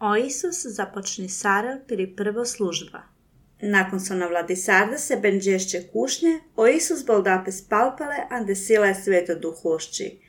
O Isus započni Sarel pri prvo služba. Nakon so na vladi Sardase benđešće kušnje, o Isus boldape spalpale, ande sila je sveto duhošći,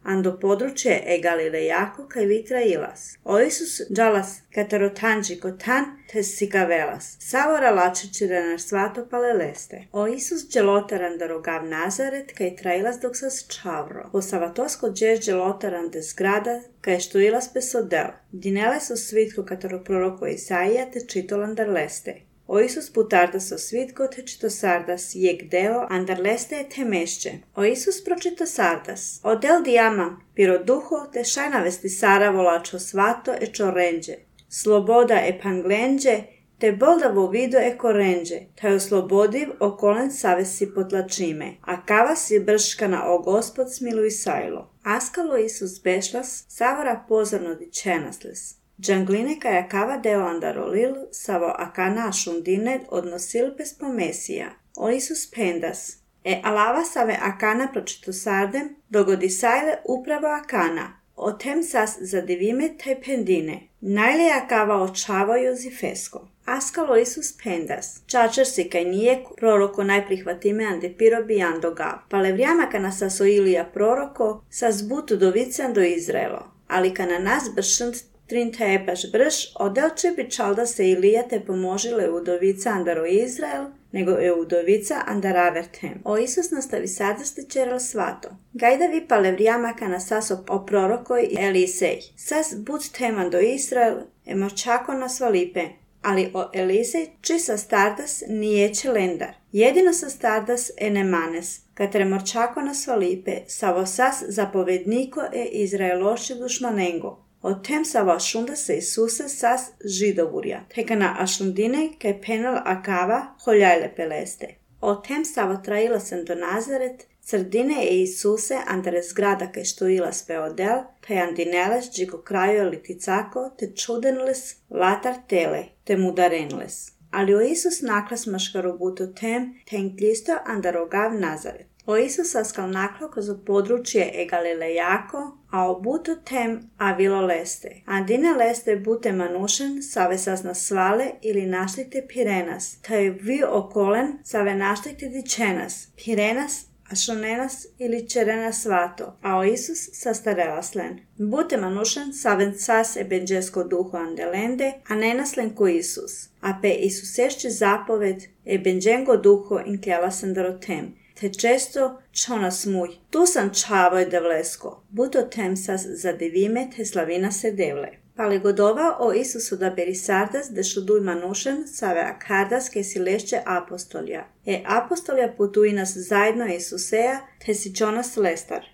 ando područje e Galilejako kaj vitra ilas. O Isus džalas katarotanđi kotan te sikavelas, savora lačećire na svato paleleste. O Isus dželotaran da rogav Nazaret kaj trailas dok sas čavro. Po savatosko džeš dželotaran de zgrada kaj što ilas pesodel. Dinele so svitko kataro proroko Isaija te čitolan dar leste. O Isus putardas o svitko te čito sardas jeg deo andar leste te mešće. O Isus pročito sardas. O del diama piro duho te šajnavesti Sara volačo svato e čorenđe. Sloboda e panglenđe te boldavo vido e korenđe. Taj oslobodiv okolen savesi potlačime. A kava si brškana o Gospod smiluj sajlo. Askalo Isus bešlas savora pozorno dičenasles. Džangline kaj akava deo andarolil, savo akana ašundine odnosil pes pomesija. O Isus pendas. E alava save akana pročito sardem, dogodi sajle upravo akana. O tem sas zadivime te pendine. Najle akava očavaju zifesko. Askalo Isus pendas. Čačer si kaj nije proroko najprihvatime ande pirobi andogav. Pale vrijama kana saso Ilija proroko, sas butu dovican do Izraelo. Ali kana nas bršnt Trinta je baš brž, odelče bi čalda se Ilija te pomožile udovica andaro Izrael, nego je udovica andaravertem. O Isus nastavi sardaste čeral svato. Gajda vi pale vrijama kana sas o prorokoj i Elisej. Sas bud teman do Izrael, emočako nas valipe. Ali o Elisej čisa stardas nijeće lendar. Jedino sa stardas enemanes, katre morčako nas valipe, savo sas zapovedniko e Izraeloši dušmanengo. O tem savo ašunda se Isuse sas židovurja, teka na ašundine kaj penal akava holjajle peleste. O tem savo traila sem do Nazaret, srdine e Isuse andere zgrada kaj što ilas peodel, taj andineles džiko krajo liticako, te čudenles latar tele, te mudarenles. Ali o Isus naklas maškarobuto tem, ten glisto andarogav Nazaret. O Isus askal naklo kozo područje e Galilejako, a o buto tem avilo leste. Andine leste bute manušen, save sas na svale ili našlikte Pirenas, taj vi okolen save našlikte dičenas, Pirenas, ašonenas ili čerenas svato, a o Isus sastarelaslen. Bute manušen saven sas e benđesko duho andelende, a nenaslen ko Isus. A pe Isusešće zapoved e benđengo duho inkljalasen darotem. Te često čonas muj, tu sam čavoj devlesko, buto tem sas zadivime te slavina se devle. Pali godova o Isusu da beri sardas de šuduj manušen save akardas ke si lešće apostolja. E apostolja putuj nas zajedno Isuseja te si čonas lestar.